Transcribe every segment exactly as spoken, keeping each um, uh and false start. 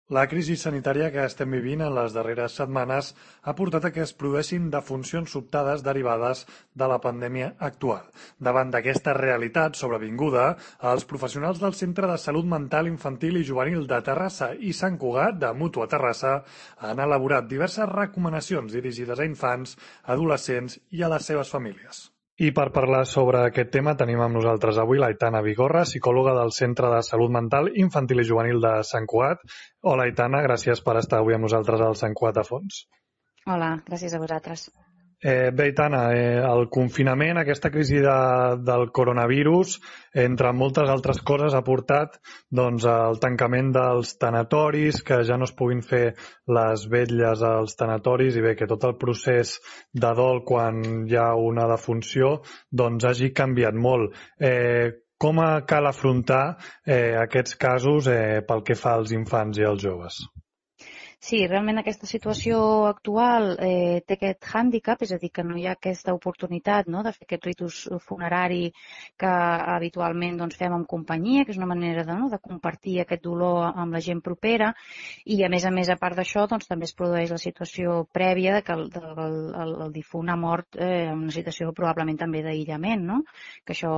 La crisi sanitària que estem vivint en les darreres setmanes ha portat a que es produeixin defuncions sobtades derivades de la pandèmia actual. Davant d'aquesta realitat sobrevinguda, els professionals del Centre de Salut Mental Infantil i Juvenil de Terrassa i Sant Cugat, de Mútua Terrassa, han elaborat diverses recomanacions dirigides a infants, adolescents i a les seves famílies. I per parlar sobre aquest tema tenim amb nosaltres avui l'Aitana Vigorra, psicòloga del Centre de Salut Mental Infantil i Juvenil de Sant Cugat. Hola, Aitana, gràcies per estar avui amb nosaltres al Sant Cugat a Fons. Hola, gràcies a vosaltres. Eh, bé, Aitana, eh, el confinament, aquesta crisi de, del coronavirus, entre moltes altres coses, ha portat doncs, el tancament dels tanatoris, que ja no es puguin fer les vetlles als tanatoris i bé, que tot el procés de dol quan hi ha una defunció doncs, hagi canviat molt. Eh, com cal afrontar eh, aquests casos eh, pel que fa als infants i als joves? Sí, realment aquesta situació actual eh, té aquest hàndicap, és a dir, que no hi ha aquesta oportunitat, no?, de fer aquest ritus funerari que habitualment doncs, fem en companyia, que és una manera de, no?, de compartir aquest dolor amb la gent propera, i a més a més, a part d'això, doncs, també es produeix la situació prèvia de que el, el, el, el difunt ha mort eh, en una situació probablement també d'aïllament, no?, que això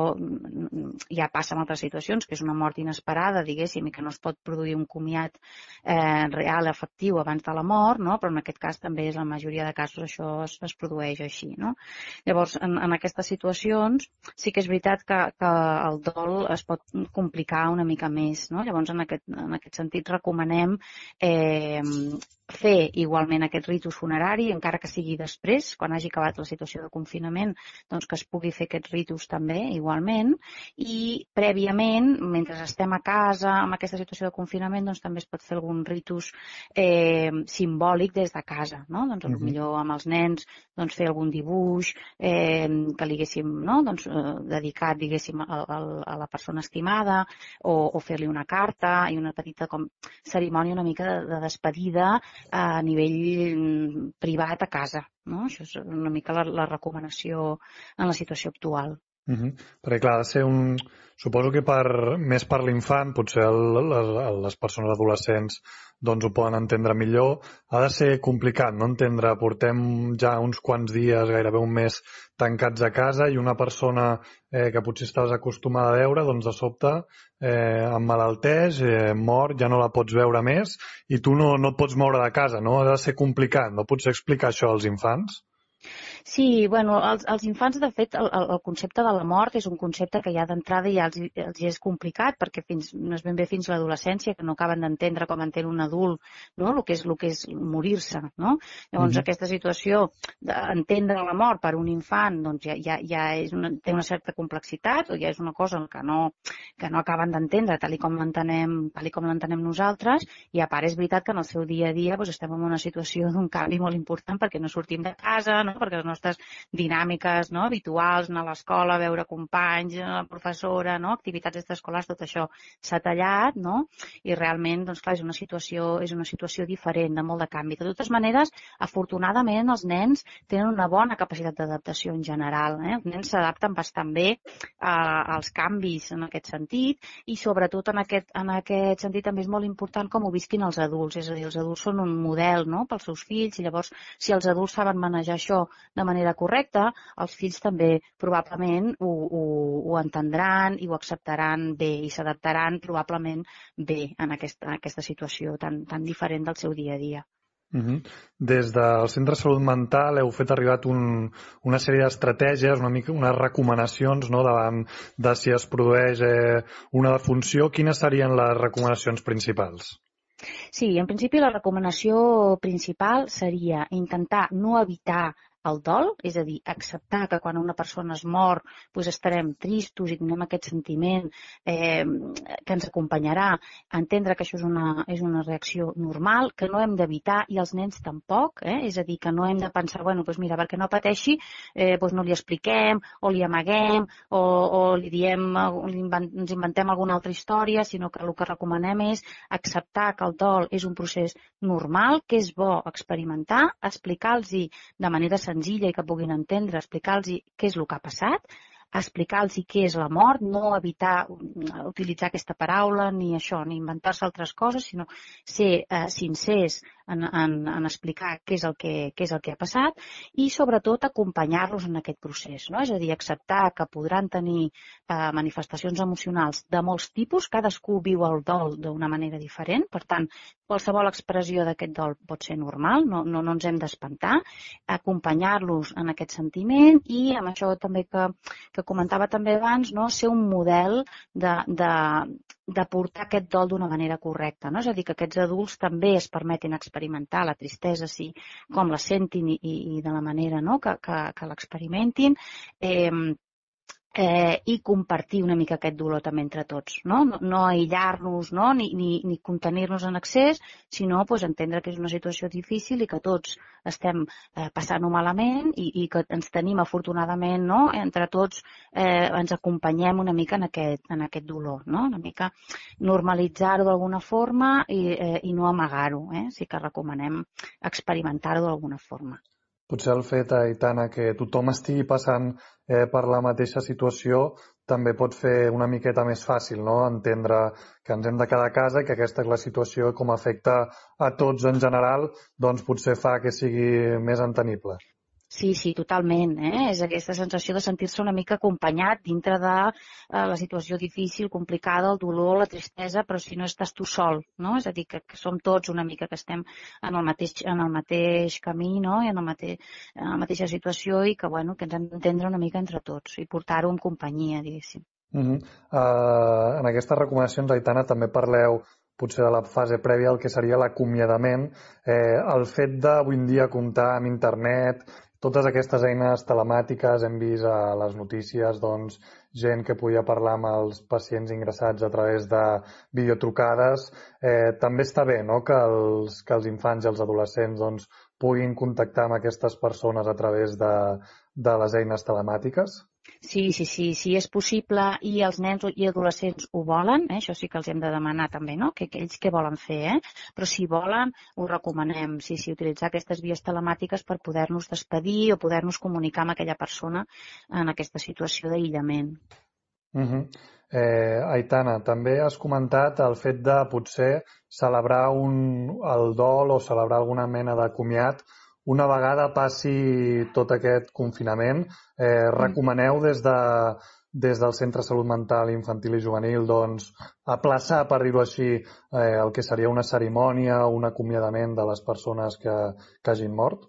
ja passa en altres situacions, que és una mort inesperada, diguéssim, i que no es pot produir un comiat eh, real, efectiu, abans de la mort, no? Però en aquest cas també és la majoria de casos això es, es produeix així, no? Llavors, en, en aquestes situacions sí que és veritat que, que el dol es pot complicar una mica més, no? Llavors, en aquest, en aquest sentit, recomanem eh, fer igualment aquest ritus funerari, encara que sigui després, quan hagi acabat la situació de confinament, doncs que es pugui fer aquest ritus també, igualment, i prèviament, mentre estem a casa, amb aquesta situació de confinament, doncs també es pot fer algun ritus eh, simbòlic des de casa, no? Doncs Uh-huh. potser amb els nens doncs, fer algun dibuix eh, que li haguéssim, no?, doncs, eh, dedicat, diguéssim, a, a, a la persona estimada, o, o fer-li una carta i una petita com cerimònia una mica de, de despedida a nivell privat a casa, no? Això és una mica la, la recomanació en la situació actual. Uh-huh. Perquè clar, ha de ser un... Suposo que per, més per l'infant, potser el, les, les persones adolescents doncs ho poden entendre millor. Ha de ser complicat, no entendre, portem ja uns quants dies, gairebé un mes, tancats a casa i una persona eh, que potser estaves acostumada a veure, doncs de sobte eh, emmalalteix, eh, mor, ja no la pots veure més i tu no, no et pots moure de casa, no? Ha de ser complicat, no pots explicar això als infants? Sí, bueno, els, els infants, de fet, el, el concepte de la mort és un concepte que ja d'entrada ja els, els és complicat, perquè fins, no és ben bé fins l'adolescència, que no acaben d'entendre com entén un adult, no?, el que és, el que és morir-se, no? Llavors, uh-huh. aquesta situació d'entendre la mort per un infant, doncs ja, ja, ja és una, té una certa complexitat, o ja és una cosa que no, que no acaben d'entendre tal i com l'entenem, tal i com l'entenem nosaltres, i a part és veritat que en el seu dia a dia doncs, estem en una situació d'un canvi molt important perquè no sortim de casa, no?, perquè les nostres dinàmiques, no?, habituals, anar a l'escola, veure companys, la professora, no?, activitats extraescolars, tot això s'ha tallat, no?, i realment, doncs clar, és una situació, és una situació diferent, de molt de canvi. De totes maneres, afortunadament, els nens tenen una bona capacitat d'adaptació en general, eh? Els nens s'adapten bastant bé a, als canvis en aquest sentit, i sobretot en aquest, en aquest sentit també és molt important com ho visquin els adults, és a dir, els adults són un model, no?, pels seus fills, i llavors, si els adults saben manejar això de manera correcta, els fills també probablement ho, ho, ho entendran i ho acceptaran bé i s'adaptaran probablement bé en aquesta, aquesta situació tan, tan diferent del seu dia a dia. Uh-huh. Des del Centre de Salut Mental heu fet arribat un, una sèrie d'estratègies, una mica, unes recomanacions, no?, davant de si es produeix eh, una defunció. Quines serien les recomanacions principals? Sí, en principi la recomanació principal seria intentar no evitar el dol, és a dir, acceptar que quan una persona es mor doncs estarem tristos i tindrem aquest sentiment eh, que ens acompanyarà, entendre que això és una, és una reacció normal, que no hem d'evitar, i els nens tampoc, eh? És a dir, que no hem de pensar, bueno, doncs mira, perquè no pateixi, eh, doncs no li expliquem, o li amaguem, o, o li diem, li invent, ens inventem alguna altra història, sinó que el que recomanem és acceptar que el dol és un procés normal, que és bo experimentar, explicar-los de manera senzilla i que puguin entendre, explicar-los què és el que ha passat, explicar-los què és la mort, no evitar utilitzar aquesta paraula ni això, ni inventar-se altres coses, sinó ser eh, sincers en, en, en explicar què és, el que, què és el que ha passat i sobretot acompanyar-los en aquest procés, no? És a dir, acceptar que podran tenir eh, manifestacions emocionals de molts tipus, cadascú viu el dol d'una manera diferent, per tant, qualsevol expressió d'aquest dol pot ser normal, no, no, no ens hem d'espantar, acompanyar-los en aquest sentiment i amb això també que, que comentava també abans, no? Ser un model de, de, de portar aquest dol d'una manera correcta, no? És a dir, que aquests adults també es permetin experimentar la tristesa, sí, com la sentin i, i, i de la manera, no? que, que, que l'experimentin, eh, Eh, i compartir una mica aquest dolor també entre tots, no, no, no aïllar-nos, no? ni, ni, ni contenir-nos en excés, sinó pues, entendre que és una situació difícil i que tots estem eh, passant-ho malament i, i que ens tenim afortunadament, no? Entre tots eh, ens acompanyem una mica en aquest, en aquest dolor, no? Una mica normalitzar-ho d'alguna forma i, eh, i no amagar-ho, eh? Sí que recomanem experimentar-ho d'alguna forma. Potser el fet, Aitana, que tothom estigui passant eh, per la mateixa situació també pot fer una miqueta més fàcil, no? Entendre que ens hem de quedar a casa i que aquesta és la situació com afecta a tots en general, doncs potser fa que sigui més entenible. Sí, sí, totalment. Eh? És aquesta sensació de sentir-se una mica acompanyat dintre de eh, la situació difícil, complicada, el dolor, la tristesa, però si no estàs tu sol, no? És a dir, que, que som tots una mica que estem en el mateix, en el mateix camí, no? I en, el mateix, en la mateixa situació i que, bueno, que ens hem d'entendre una mica entre tots i portar-ho en companyia, diguéssim. Uh-huh. Uh, en aquestes recomanacions, Aitana, també parleu potser de la fase prèvia al que seria l'acomiadament. Eh, el fet d'avui en dia comptar amb internet, totes aquestes eines telemàtiques, hem vist a les notícies doncs, gent que podia parlar amb els pacients ingressats a través de videotrucades. Eh, també està bé, no?, que els, que els infants i els adolescents doncs, puguin contactar amb aquestes persones a través de, de les eines telemàtiques. Sí, sí, sí, sí, és possible i els nens i adolescents ho volen, eh? Això sí que els hem de demanar també, no? Que, que ells què volen fer, eh? Però si volen, ho recomanem, sí, sí, utilitzar aquestes vies telemàtiques per poder-nos despedir o poder-nos comunicar amb aquella persona en aquesta situació d'aïllament. Uh-huh. eh, Aitana, també has comentat el fet de potser celebrar un, el dol o celebrar alguna mena de comiat una vegada passi tot aquest confinament. Eh, recomaneu des, de, des del Centre de Salut Mental Infantil i Juvenil doncs, aplaçar, per dir-ho així, eh, el que seria una cerimònia o un acomiadament de les persones que, que hagin mort?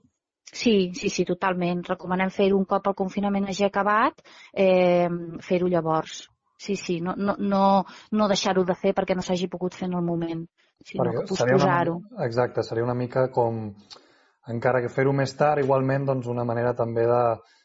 Sí, sí, sí, totalment. Recomanem fer-ho un cop el confinament hagi acabat, eh, fer-ho llavors. Sí, sí, no, no, no, no deixar-ho de fer perquè no s'hagi pogut fer en el moment, sinó Perquè que seria una, posposar-ho. exacte, seria una mica com, encara que fer-ho més tard, igualment, doncs una manera també de,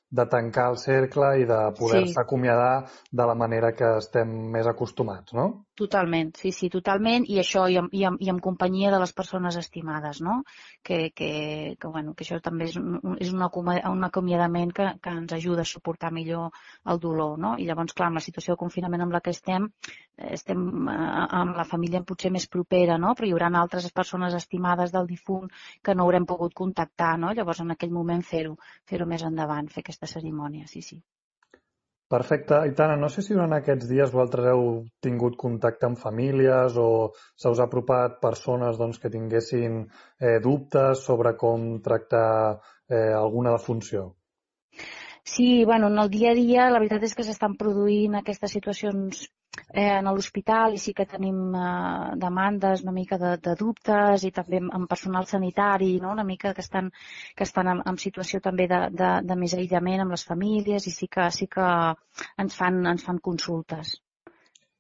de tancar el cercle i de poder-se Sí. acomiadar de la manera que estem més acostumats, no? Totalment, sí, sí, totalment, i això i amb, i amb, i amb companyia de les persones estimades, no? Que, que, que, bueno, que això també és un, és un, un acomiadament que, que ens ajuda a suportar millor el dolor, no? I llavors, clar, amb la situació de confinament amb la que estem, estem eh, amb la família potser més propera, no? Però hi haurà altres persones estimades del difunt que no haurem pogut contactar, no? Llavors, en aquell moment fer-ho, fer-ho més endavant, fer aquesta cerimònia, sí, sí. Perfecte. Aitana, no sé si durant aquests dies vosaltres heu tingut contacte amb famílies o se us ha apropat persones doncs, que tinguessin eh, dubtes sobre com tractar eh, alguna defunció. Sí, bueno, en el dia a dia la veritat és que s'estan produint aquestes situacions eh, en l'hospital i sí que tenim eh, demandes una mica de, de dubtes i també amb personal sanitari, no? Una mica que estan, que estan en, en situació també de, de, de més aïllament amb les famílies i sí que, sí que ens fan, ens fan consultes.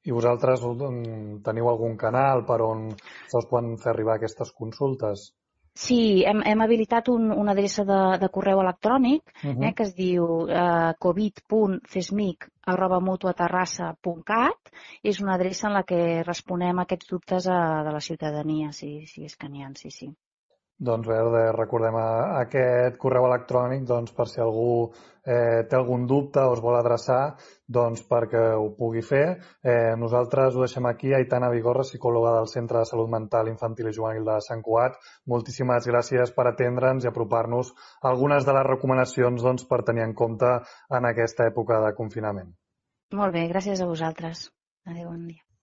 I vosaltres mm, teniu algun canal per on se us poden fer arribar aquestes consultes? Sí, hem, hem habilitat un, una adreça de, de correu electrònic Uh-huh. eh, que es diu eh, covid punt cesmic arroba mutuaterrassa punt cat. És una adreça en la que responem a aquests dubtes a, de la ciutadania, si, si és que n'hi ha, sí, sí. Doncs bé, recordem aquest correu electrònic doncs, per si algú eh, té algun dubte o es vol adreçar doncs, perquè ho pugui fer. Eh, nosaltres ho deixem aquí. Aitana Vigorra, psicòloga del Centre de Salut Mental Infantil i Juvenil de Sant Cugat. Moltíssimes gràcies per atendre'ns i apropar-nos a algunes de les recomanacions doncs, per tenir en compte en aquesta època de confinament. Molt bé, gràcies a vosaltres. Adéu, bon dia.